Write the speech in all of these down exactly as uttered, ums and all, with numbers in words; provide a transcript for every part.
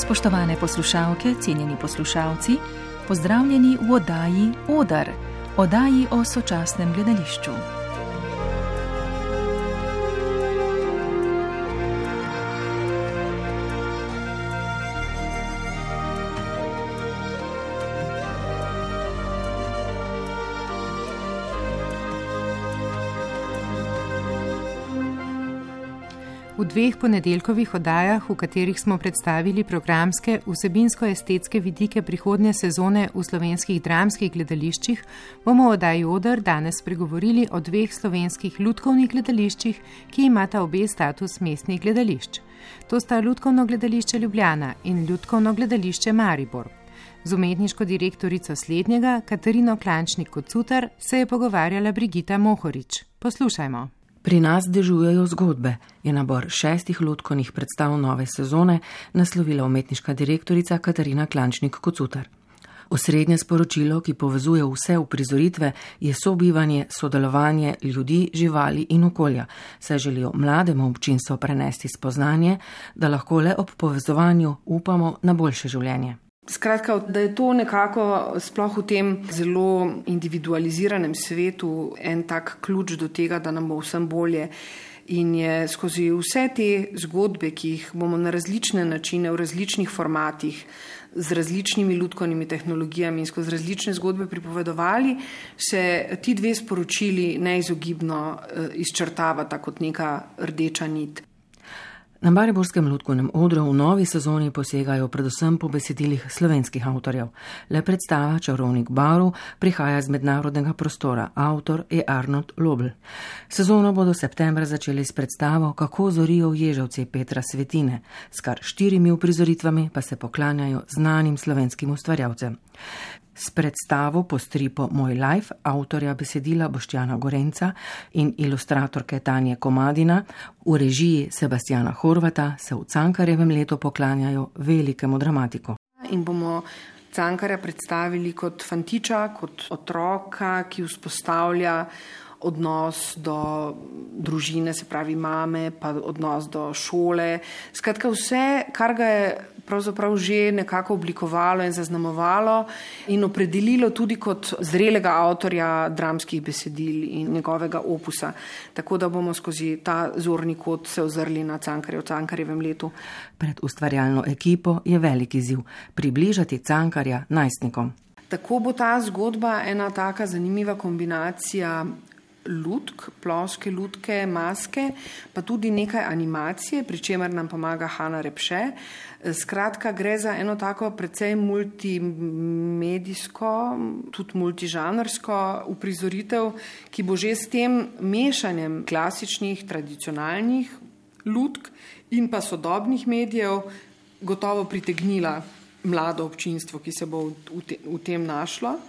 Spoštovane poslušalke, cenjeni poslušalci, pozdravljeni v oddaji Odar, oddaji o sočasnem gledališču. V dveh ponedeljkovih oddajah, v katerih smo predstavili programske, vsebinsko-estetske vidike prihodnje sezone v slovenskih dramskih gledališčih, bomo v oddaji Odar danes spregovorili o dveh slovenskih lutkovnih gledališčih, ki imata obe status mestnih gledališč. To sta Lutkovno gledališče Ljubljana in Lutkovno gledališče Maribor. Z umetniško direktorico slednjega, Katarino Klančnik-Kocutar, se je pogovarjala Brigita Mohorič. Poslušajmo. Pri nas dežujejo zgodbe, je nabor šestih lutkovnih predstav nove sezone naslovila umetniška direktorica Katarina Klančnik-Kocutar. Osrednje sporočilo, ki povezuje vse uprizoritve, je sobivanje, sodelovanje ljudi, živali in okolja, saj želijo mlademu občinstvu prenesti spoznanje, da lahko le ob povezovanju upamo na boljše življenje. Skratka, da je to nekako sploh v tem zelo individualiziranem svetu en tak ključ do tega, da nam bo vsem bolje. In je skozi vse te zgodbe, ki jih bomo na različne načine, v različnih formatih, z različnimi lutkovnimi tehnologijami in skozi različne zgodbe pripovedovali, se ti dve sporočili neizogibno izčrtavata kot neka rdeča nit. Na mariborskem lutkovnem odru v novi sezoni posegajo predvsem po besedilih slovenskih avtorjev. Le predstava Čarovnik barv prihaja z mednarodnega prostora. Avtor je Arnold Lobl. Sezono bodo septembra začeli s predstavo Kako zorijo ježevci Petra Svetine. S kar štirimi uprizoritvami pa se poklanjajo znanim slovenskim ustvarjalcem. S predstavo po stripu Moj life avtorja besedila Boštjana Gorenca in ilustratorke Tanje Komadina v režiji Sebastjana Horvata se v Cankarjevem letu poklanjajo velikemu dramatiku. In bomo Cankarja predstavili kot fantiča, kot otroka, ki vzpostavlja odnos do družine, se pravi mame, pa odnos do šole. Skratka vse, kar ga je pravzaprav že nekako oblikovalo in zaznamovalo in opredelilo tudi kot zrelega avtorja dramskih besedil in njegovega opusa. Tako da bomo skozi ta zorni kot se ozrli na Cankarja v Cankarjevem letu. Pred ustvarjalno ekipo je velik izziv približati Cankarja najstnikom. Tako bo ta zgodba ena taka zanimiva kombinacija lutk, ploske lutke, maske, pa tudi nekaj animacije, pri čemer nam pomaga Hanna Repše. Skratka, gre za eno tako precej multimedijsko, tudi multižanrsko uprizoritev, ki bo že s tem mešanjem klasičnih, tradicionalnih lutk in pa sodobnih medijev gotovo pritegnila mlado občinstvo, ki se bo v, te, v tem našlo.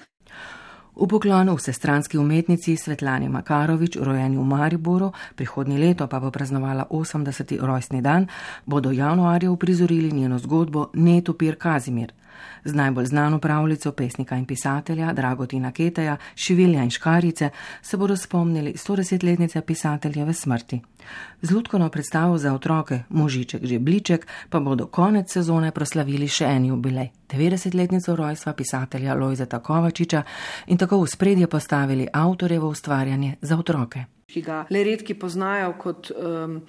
V poklonu vsestranski umetnici Svetlani Makarovič, rojeni v Mariboru, prihodnje leto pa bo praznovala osemdeseti rojstni dan, bodo januarja uprizorili njeno zgodbo Netopir Kazimir. Z najbolj znano pravljico pesnika in pisatelja Dragotina Keteja, Šivilja in Škarjice se bodo spomnili stodesetletnice pisateljeve smrti. Z lutkovno predstavo za otroke Možiček Žebliček pa bodo konec sezone proslavili še en jubilej, devetdesetletnico rojstva pisatelja Lojzeta Kovačiča in tako v spredje postavili avtorjevo ustvarjanje za otroke. Ki ga le redki poznajo kot um,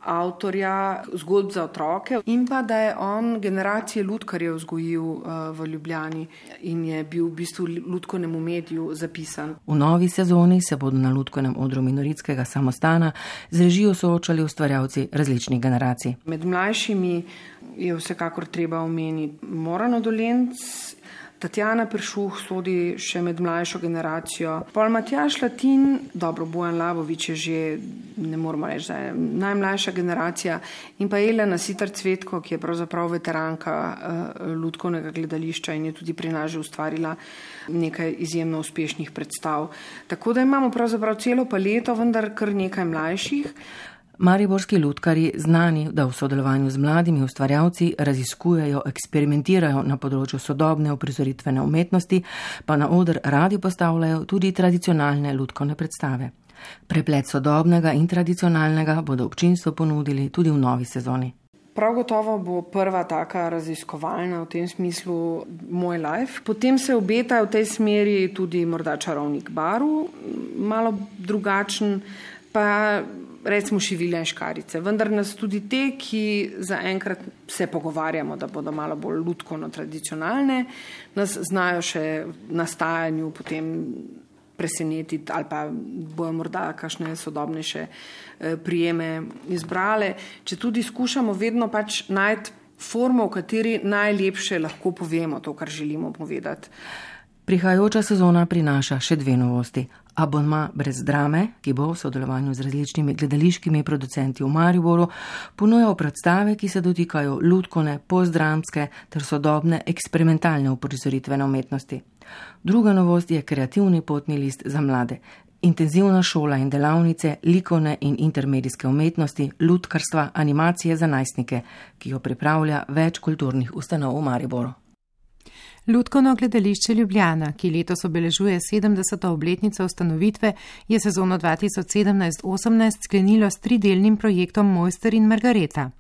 avtorja zgodb za otroke in pa da je on generacije lutkarjev vzgojil uh, v Ljubljani in je bil v bistvu lutkovnemu mediju zapisan. V novi sezoni se bodo na lutkovnem odru Minoritskega samostana z režijo soočali ustvarjalci različnih generacij. Med mlajšimi je vsekakor treba omeniti Morano Dolenc, Tatjana Peršuh sodi še med mlajšo generacijo. Pol Matjaž Latin, dobro, Bojan Labovič je že, ne moramo reči, da je najmlajša generacija, in pa Elena Sitar Cvetko, ki je pravzaprav veteranka uh, lutkovnega gledališča in je tudi pri nas že ustvarila nekaj izjemno uspešnih predstav. Tako da imamo pravzaprav celo paleto, vendar kar nekaj mlajših. Mariborski lutkarji, znani, da v sodelovanju z mladimi ustvarjalci raziskujejo, eksperimentirajo na področju sodobne uprizoritvene umetnosti, pa na oder radi postavljajo tudi tradicionalne lutkovne predstave. Preplet sodobnega in tradicionalnega bodo občinstvu ponudili tudi v novi sezoni. Prav gotovo bo prva taka raziskovalna v tem smislu Moj life. Potem se obeta v tej smeri tudi morda Čarovnik Baru, malo drugačen, pa recimo Šivilja in Škarjice. Vendar nas tudi te, ki zaenkrat se pogovarjamo, da bodo malo bolj lutkovno tradicionalne, nas znajo še v nastajanju potem presenetiti ali pa bojo morda kakšne sodobnejše prijeme izbrale. Če tudi skušamo vedno pač najti formo, v kateri najlepše lahko povemo to, kar želimo povedati. Prihajajoča sezona prinaša še dve novosti. Abonma brez drame, ki bo v sodelovanju z različnimi gledališkimi producenti v Mariboru ponujal predstave, ki se dotikajo lutkovne, postdramske ter sodobne eksperimentalne uprizoritvene umetnosti. Druga novost je kreativni potni list za mlade. Intenzivna šola in delavnice likovne in intermedijske umetnosti, lutkarstva, animacije za najstnike, ki jo pripravlja več kulturnih ustanov v Mariboru. Lutkovno gledališče Ljubljana, ki letos obeležuje sedemdeseto obletnico ustanovitve, je sezono dva tisoč sedemnajst osemnajst sklenilo s tridelnim projektom Mojster in Margareta.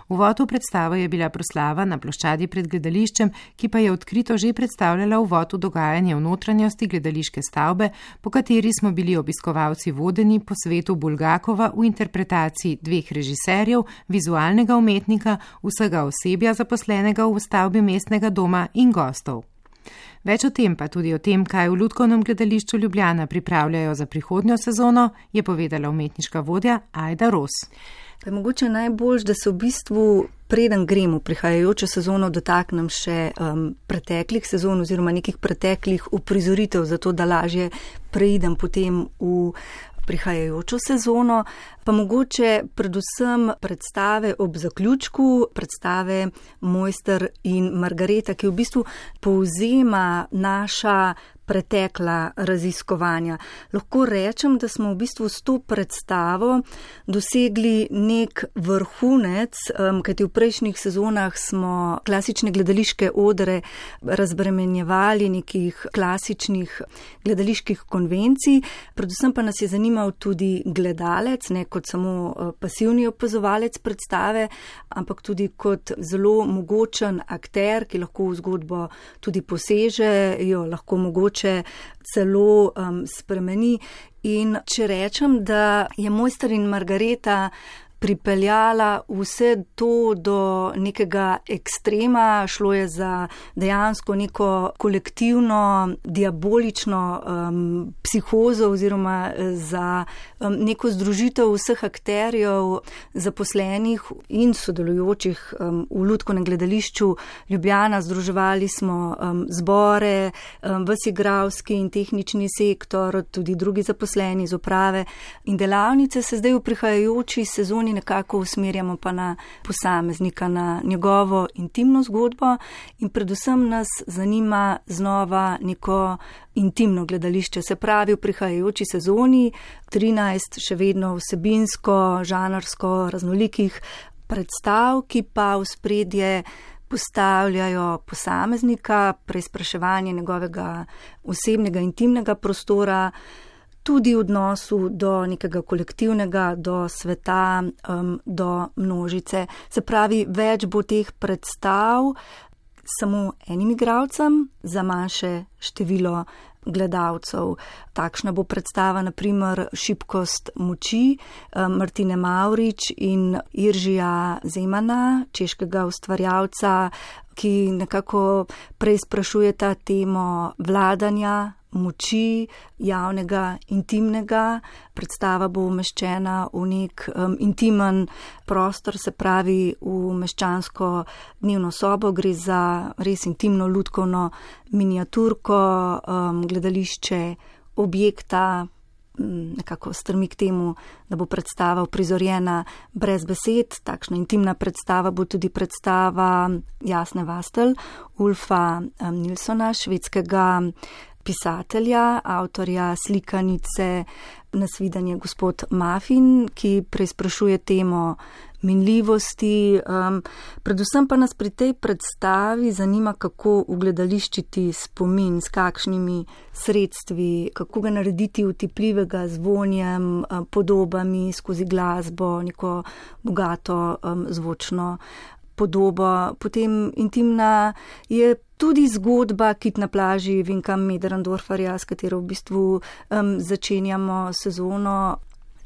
Uvod v predstavo je bila proslava na ploščadi pred gledališčem, ki pa je odkrito že predstavljala uvod v dogajanje v notranjosti gledališke stavbe, po kateri smo bili obiskovalci vodeni po svetu Bulgakova v interpretaciji dveh režiserjev, vizualnega umetnika, vsega osebja zaposlenega v stavbi mestnega doma in gostov. Več o tem, pa tudi o tem, kaj v Lutkovnem gledališču Ljubljana pripravljajo za prihodnjo sezono, je povedala umetniška vodja Ajda Ros. Pa je mogoče najbolj, da se v bistvu preden gremo prihajajočo sezono dotaknem še um, preteklih sezon oziroma nekih preteklih uprizoritev, zato da lažje preidem potem v prihajajočo sezono, pa mogoče predvsem predstave ob zaključku, predstave Mojster in Margareta, ki v bistvu povzema naša pretekla raziskovanja. Lahko rečem, da smo v bistvu s to predstavo dosegli nek vrhunec, kajti v prejšnjih sezonah smo klasične gledališke odre razbremenjevali nekih klasičnih gledaliških konvencij, predvsem pa nas je zanimal tudi gledalec, ne kot samo pasivni opazovalec predstave, ampak tudi kot zelo mogočen akter, ki lahko v zgodbo tudi poseže, jo lahko mogoče celo um, spremeni. In če rečem, da je Mojster in Margareta pripeljala vse to do nekega ekstrema, šlo je za dejansko neko kolektivno, diabolično um, psihozo oziroma za um, neko združitev vseh akterjev, zaposlenih in sodelujočih um, v Lutkovnem gledališču Ljubljana. Združevali smo um, zbore, um, ves igralski in tehnični sektor, tudi drugi zaposleni iz uprave in delavnice se zdaj v prihajajoči sezoni nekako usmerjamo pa na posameznika, na njegovo intimno zgodbo in predvsem nas zanima znova neko intimno gledališče. Se pravi, v prihajajoči sezoni trinajst še vedno vsebinsko, žanrsko raznolikih predstav, ki pa v spredje postavljajo posameznika, preizpraševanje njegovega osebnega intimnega prostora, tudi v odnosu do nekega kolektivnega, do sveta, um, do množice. Se pravi, več bo teh predstav samo enim igralcem za manjše število gledalcev. Takšna bo predstava, na primer, Šibkost moči Martine Mavrič in Iržija Zemana, češkega ustvarjalca, ki nekako preizprašujeta temo vladanja, moči, javnega, intimnega. Predstava bo umeščena v nek um, intimen prostor, se pravi v meščansko dnevno sobo. Gre za res intimno lutkovno miniaturko, um, gledališče objekta, nekako strmi k temu, da bo predstava uprizorjena brez besed. Takšna intimna predstava bo tudi predstava Jasne Vastel, Ulfa um, Nilsona, švedskega pisatelja, avtorja slikanice Nasvidenje gospod Muffin, ki preizprašuje temo minljivosti. Um, predvsem pa nas pri tej predstavi zanima, kako ugledališčiti spomin, s kakšnimi sredstvi, kako ga narediti utipljivega z vonjem, um, podobami, skozi glasbo, neko bogato um, zvočno podobo. Potem intimna je tudi zgodba Kit na plaži Vinka Möderndoorferja, s katero v bistvu um, začenjamo sezono.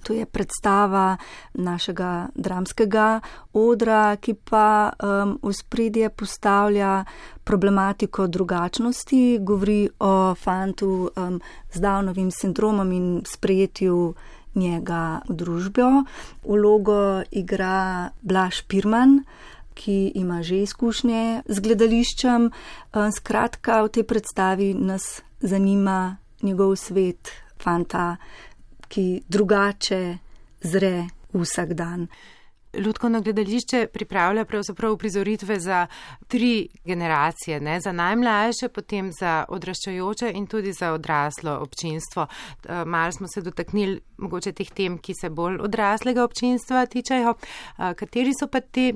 To je predstava našega dramskega odra, ki pa um, v spredje postavlja problematiko drugačnosti, govori o fantu um, z Downovim sindromom in sprejetju njega v družbo. Vlogo igra Blaž Pirman, ki ima že izkušnje z gledališčem. Skratka, v tej predstavi nas zanima njegov svet fanta, ki drugače zre vsak dan. Lutkovno gledališče pripravlja pravzaprav uprizoritve za tri generacije, ne? Za najmlajše, potem za odraščajoče in tudi za odraslo občinstvo. Malo smo se dotaknili mogoče teh tem, ki se bolj odraslega občinstva tičejo. Kateri so pa te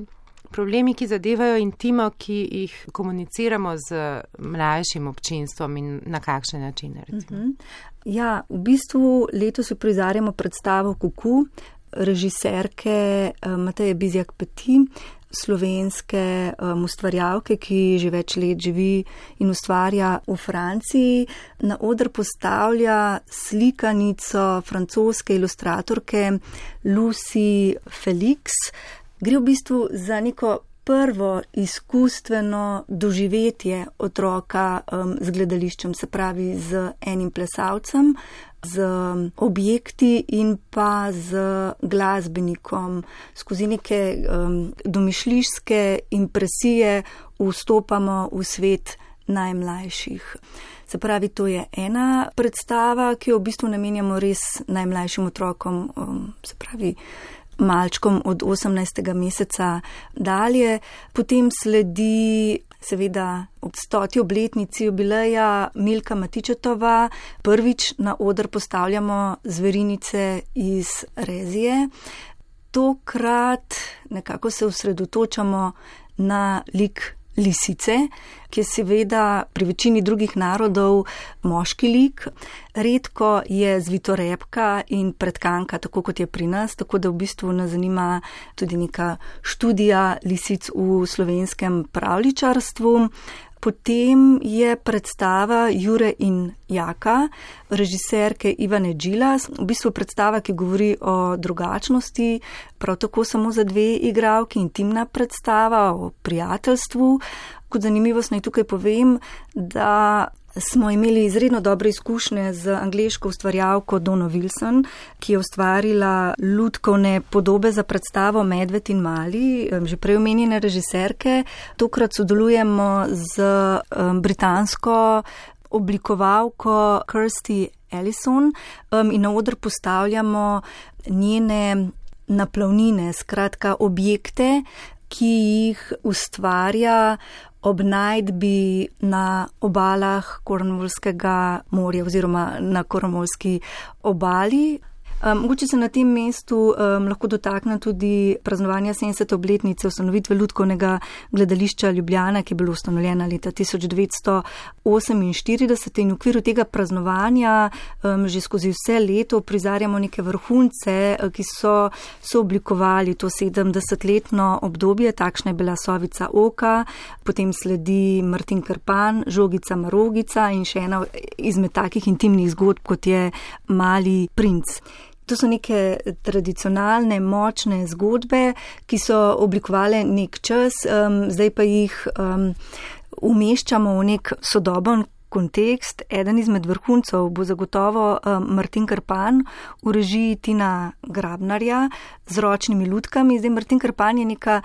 problemi, ki zadevajo intimo, ki jih komuniciramo z mlajšim občinstvom in na kakšne načine? Uh-huh. Ja, v bistvu letos uprizarjamo predstavo Kuku, režiserke Mateje Bizjak-Peti, slovenske um, ustvarjalke, ki že več let živi in ustvarja v Franciji. Na oder postavlja slikanico francoske ilustratorke Lucy Felix. Gre v bistvu za neko prvo izkustveno doživetje otroka um, z gledališčem, se pravi z enim plesalcem, z objekti in pa z glasbenikom. Skozi neke um, domišljijske impresije vstopamo v svet najmlajših. Se pravi, to je ena predstava, ki jo v bistvu namenjamo res najmlajšim otrokom, um, se pravi malčkom od osemnajstega meseca dalje. Potem sledi seveda ob stoti obletnici jubileja Milka Matičetova. Prvič na oder postavljamo zverinice iz Rezije. Tokrat nekako se osredotočamo na lik lisice, ki je seveda pri večini drugih narodov moški lik. Redko je zvitorepka in pretkanka, tako kot je pri nas, tako da v bistvu nas zanima tudi neka študija lisic v slovenskem pravljičarstvu. Potem je predstava Jure in Jaka, režiserke Ivane Džilas, v bistvu predstava, ki govori o drugačnosti, prav tako samo za dve igralki, intimna predstava o prijateljstvu. Kot zanimivost naj tukaj povem, da smo imeli izredno dobre izkušnje z angleško ustvarjalko Dono Wilson, ki je ustvarila lutkovne podobe za predstavo Medved in Mali, že prej omenjene režiserke. Tokrat sodelujemo z britansko oblikovalko Kirsty Ellison in na oder postavljamo njene naplavnine, skratka objekte, ki jih ustvarja ob najdbi na obalah Cornwallskega morja oziroma na Cornwallski obali. Um, mogoče se na tem mestu um, lahko dotakne tudi praznovanja sedemdesete obletnice ustanovitve Lutkovnega gledališča Ljubljana, ki je bilo ustanovljeno leta tisoč devetsto oseminštirideset in v okviru tega praznovanja um, že skozi vse leto prizarjamo neke vrhunce, ki so, so oblikovali to sedemdesetletno obdobje. Takšna je bila Sovica Oka, potem sledi Martin Krpan, Žogica Marogica in še ena izmed takih intimnih zgodb, kot je Mali princ. To so neke tradicionalne, močne zgodbe, ki so oblikovale nek čas, um, zdaj pa jih um, umeščamo v nek sodoben kontekst. Eden izmed vrhuncov bo zagotovo um, Martin Krpan v režiji Tina Grabnarja z ročnimi lutkami. Zdaj Martin Krpan je neka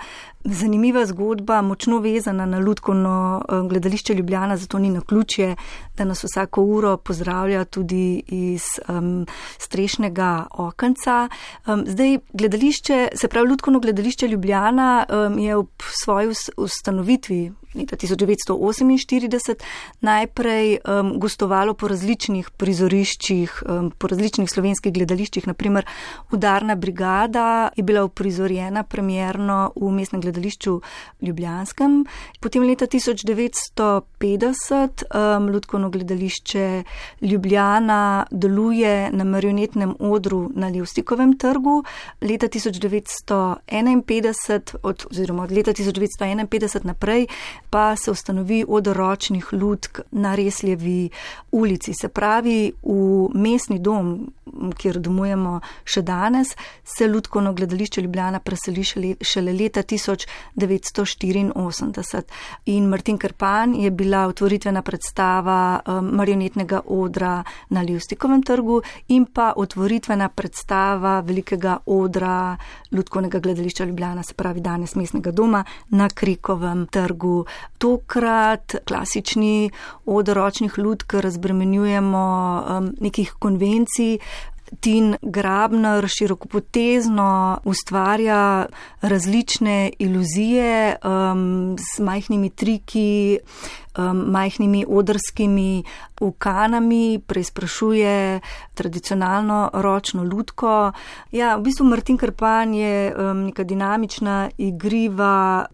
zanimiva zgodba, močno vezana na Lutkovno gledališče Ljubljana, zato ni naključje, da nas vsako uro pozdravlja tudi iz um, strešnega okenca. Um, zdaj, gledališče, se pravi Lutkovno gledališče Ljubljana um, je ob svoji ustanovitvi leta tisoč devetsto oseminštirideset najprej um, gostovalo po različnih prizoriščih, um, po različnih slovenskih gledališčih, naprimer Udarna brigada je bila uprizorjena premierno v Mestnem gledališču Ljubljanskem. Potem leta tisoč devetsto petdeset um, Lutkovno gledališče Ljubljana deluje na marionetnem odru na Levstikovem trgu. Leta tisoč devetsto enainpetdeset, od, oziroma od leta tisoč devetsto enainpetdeset naprej, pa se ustanovi oder ročnih lutk na Resljevi ulici. Se pravi, v mestni dom, kjer domujemo še danes, se Lutkovno gledališče Ljubljana preseli šele leta tisoč devetsto štiriinosemdeset. In Martin Krpan je bila otvoritvena predstava um, marionetnega odra na Levstikovem trgu in pa otvoritvena predstava velikega odra Lutkovnega gledališča Ljubljana, se pravi danes mestnega doma, na Krekovem trgu. Tokrat klasični oder ročnih lutk razbremenjujemo um, nekih konvencij. Tin Grabner širokopotezno ustvarja različne iluzije um, z majhnimi triki, um, majhnimi odrskimi ukanami, preizprašuje tradicionalno ročno lutko. Ja, v bistvu Martin Krpan je um, neka dinamična, igriva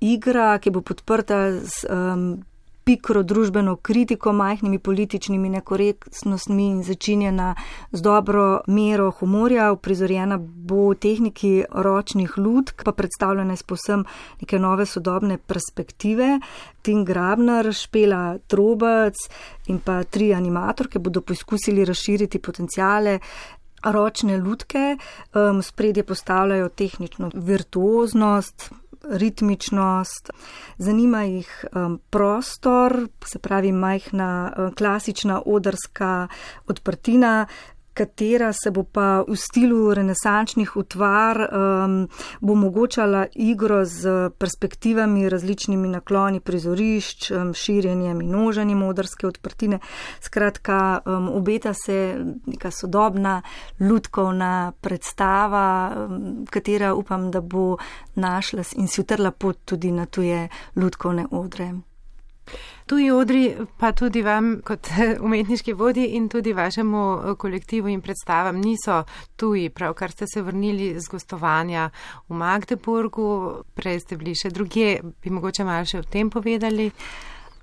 igra, ki bo podprta z um, pikro družbeno kritiko, majhnimi političnimi nekorektnostmi in začinjena z dobro mero humorja. Uprizorjena bo v tehniki ročnih lutk, pa predstavljena iz povsem neke nove sodobne perspektive. Tin Grabner, Špela Trobec in pa tri animatorke bodo poizkusili razširiti potenciale ročne lutke. Um, spredje postavljajo tehnično virtuoznost, ritmičnost, zanima jih um, prostor, se pravi majhna um, klasična odrska odprtina, katera se bo pa v stilu renesančnih utvar um, bo omogočala igro z perspektivami, različnimi nakloni prizorišč, um, širjenjem in množenjem odrske odprtine. Skratka, um, obeta se neka sodobna lutkovna predstava, um, katera upam, da bo našla in si utrla pot tudi na tuje lutkovne odre. Tuji odri pa tudi vam kot umetniški vodji in tudi vašemu kolektivu in predstavam niso tuji, pravkar ste se vrnili z gostovanja v Magdeburgu, prej ste bili še drugje, bi mogoče malo še o tem povedali?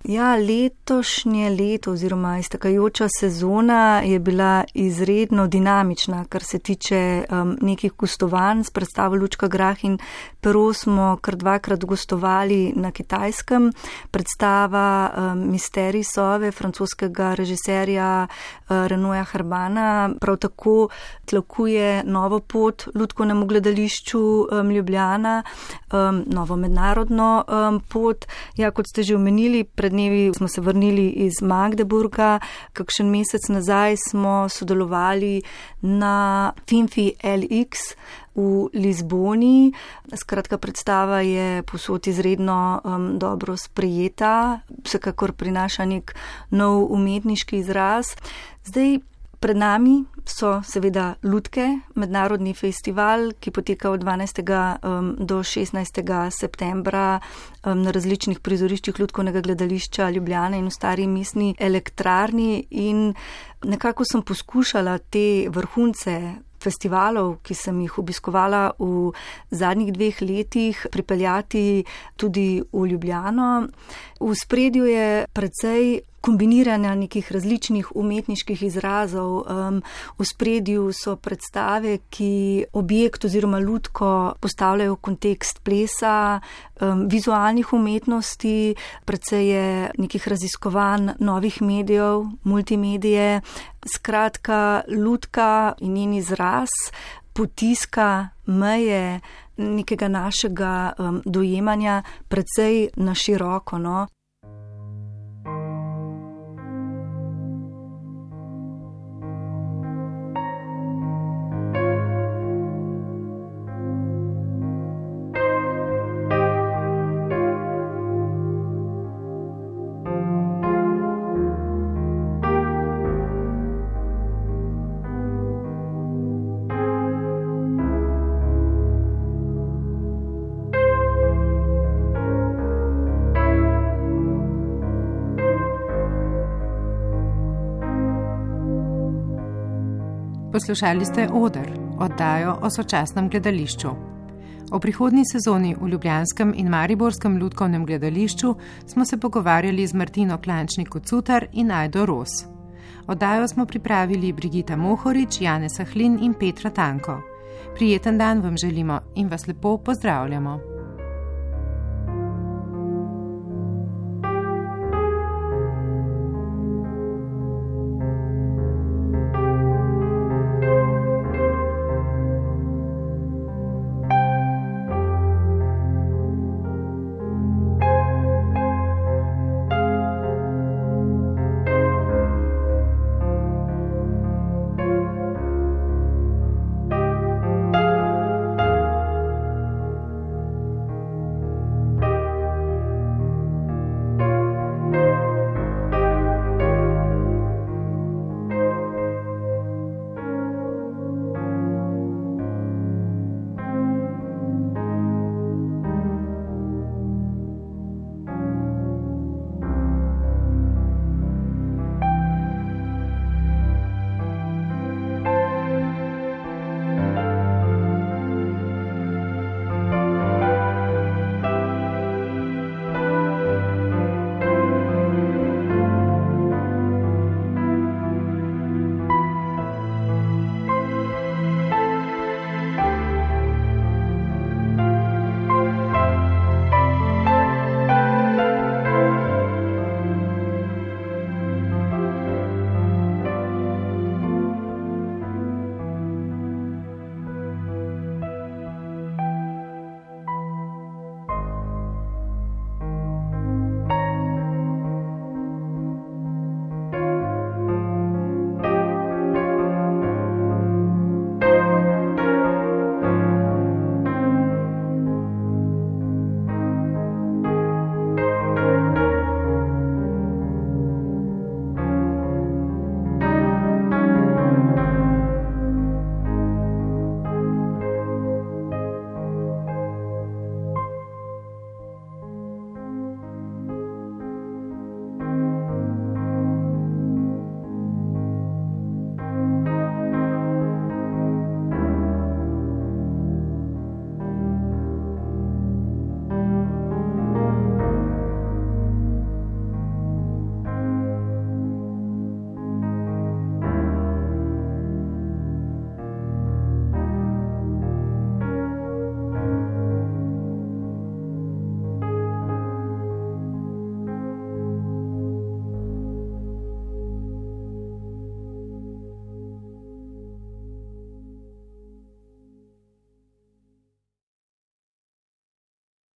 Ja, letošnje leto oziroma iztekajoča sezona je bila izredno dinamična, kar se tiče um, nekih gostovanj s predstavo Lučka Grah in Pero smo kar dvakrat gostovali na Kitajskem. Predstava um, Misterij Sove francoskega režiserja uh, Renoja Harbana prav tako tlakuje novo pot Lutkovnemu gledališču um, Ljubljana, um, novo mednarodno um, pot. Ja, kot ste že omenili, pred dnevi smo se vrnili iz Magdeburga, kakšen mesec nazaj smo sodelovali na Finfi L X v Lizboni. Skratka, predstava je povsod izredno um, dobro sprejeta, vsekakor prinaša nek nov umetniški izraz. Zdaj, pred nami so seveda Lutke, mednarodni festival, ki poteka od dvanajstega um, do šestnajstega septembra um, na različnih prizoriščih Lutkovnega gledališča Ljubljane in v Stari mestni elektrarni, in nekako sem poskušala te vrhunce festivalov, ki sem jih obiskovala v zadnjih dveh letih, pripeljati tudi v Ljubljano. V spredju je precej kombiniranja nekih različnih umetniških izrazov. Um, v spredju so predstave, ki objekt oziroma lutko postavljajo v kontekst plesa, um, vizualnih umetnosti, precej je nekih raziskovanj novih medijev, multimedije. Skratka, lutka in njen izraz potiska meje nekega našega um, dojemanja precej na široko, no. Poslušali ste Oder, oddajo o sočasnem gledališču. O prihodnji sezoni v ljubljanskem in mariborskem lutkovnem gledališču smo se pogovarjali z Martino Klančnik-Cutar in Ajdo Ros. Oddajo smo pripravili Brigita Mohorič, Janez Sahlin in Petra Tanko. Prijeten dan vam želimo in vas lepo pozdravljamo.